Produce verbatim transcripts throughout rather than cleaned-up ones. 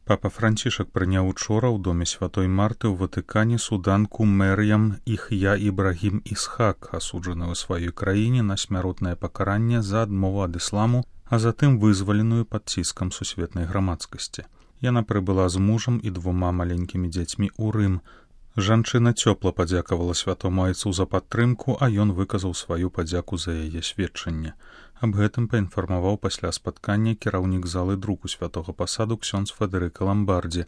Папа Францішак прыняў учора ў доме святой Марты ў Ватыкане суданку Мер'ям Іх'я Ібрагім Ісхак, асуджаную ў сваёй краіне на смяротнае пакаранне за адмову ад ісламу, а затым вызваленую пад ціскам сусветнай грамадскасці. Яна прыбыла з мужам і двума маленькімі дзецьмі ў Рым. Жанчына цёпла падзякавала святому айцу за падтрымку, а ён выказаў сваю падзяку за яе сведчанне. Аб гэтым паінфармаваў пасля спаткання кіраўнік залы друку святога пасаду ксёндз Федэрыка Ламбардзі.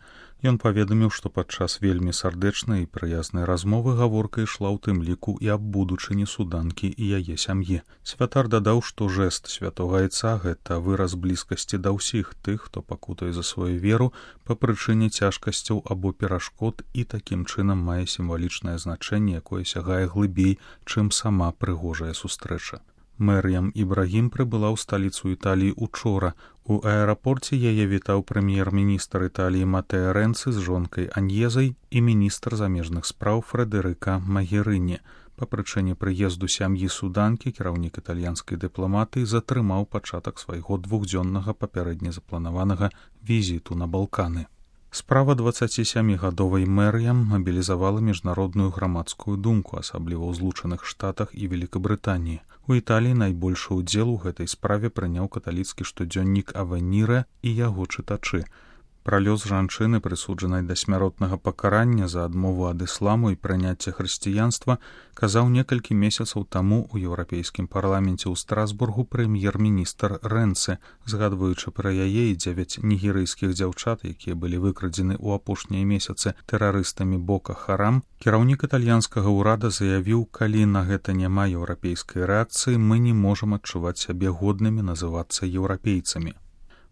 Ён паведаміў, што падчас вельмі сардэчнай і прыязнай размовы гаворка ішла ў тым ліку і аб будучыні суданкі і яе сям'і. Святар дадаў, што жэст святога айца — гэта выраз блізкасці да ўсіх тых, хто пакутае за сваю веру па прычыне цяжкасцяў або перашкод і такім чынам мае сімвалічнае значэнне, якое сягае глыбей, чым сама прыгожая сустрэча. Мер'ям Ібрагім прыбыла ў сталіцу Італіі учора. У аэрапорце яе вітаў прэм'ер-міністр Італіі Матэа Рэнцы з жонкай Аньезай і міністр замежных спраў Фрэдэрыка Магерыні. Па прычыне прыезду сям'і суданкі кіраўнік італьянскай дыпламатыі затрымаў пачатак свайго двухдзённага папярэдне запланаванага візіту на Балканы. Справа дваццацісямігадовай Мер'ям мабілізавала міжнародную грамадскую думку, асабліва ў Злучаных Штатах і Великабрытаніі. У Італіі найбольшы ўдзел у гэтай справе прыняў каталіцкі штодзённік Авеніре і яго чытачы. Пра лёс жанчыны, прысуджанай да смяротнага пакарання за адмову ад ісламу і прыняцце хрысціянства, казаў некалькі месяцаў таму ў Еўрапейскім парламенце ў Страсбургу прэм'ер-міністр Рэнцы, згадваючы пра яе і дзевяць нігерыйскіх дзяўчат, якія былі выкрадзены ў апошнія месяцы тэрарыстамі Бока Харам. Кіраўнік італьянскага ўрада заявіў, калі на гэта няма еўрапейскай рэакцыі, мы не можам адчуваць сябе годнымі называцца еўрапейцамі.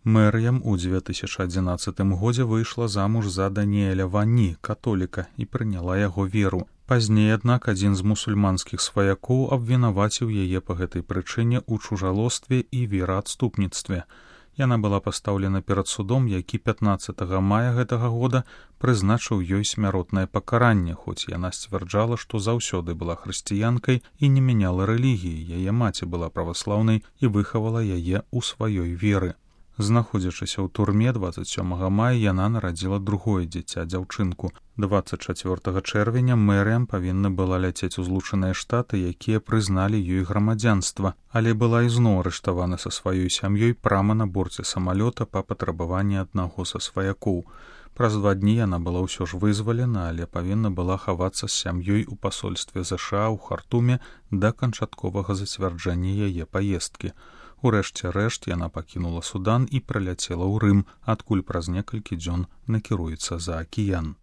Мер'ям у дзве тысячы адзінаццатым годзе выйшла замуж за Даніэля Вані, католіка, і прыняла яго веру. Пазней, аднак, адзін з мусульманскіх сваякоў абвінаваціў яе па гэтай прычыне ў чужалостве і вераадступніцтве. Яна была пастаўлена перад судом, які пятнаццатага мая гэтага года прызначыў ёй смяротнае пакаранне, хоць яна сцвярджала, што заўсёды была хрысціянкай і не мяняла рэлігіі. Яе маці была праваслаўнай і выхавала яе ў сваёй веры. Знаходзячыся ў турме дваццаць сёмага мая яна нарадзіла другое дзіця, дзяўчынку. дваццаць чацвёртага чэрвеня Мер'ям павінна была ляцець у Злучаныя Штаты, якія прызналі ёй грамадзянства, але была ізноў арыштавана са сваёй сям'ёй прама на борце самалёта па патрабаванні аднаго са сваякоў. Праз два дні яна была ўсё ж вызвалена, але павінна была хавацца з сям'ёй у пасольстве ЗША ў Хартуме да канчатковага зацвярджэння яе паездкі. Урэшце рэшт яна пакінула Судан і праляцела ў Рым, адкуль праз некалькі дзён накіруецца за акіян.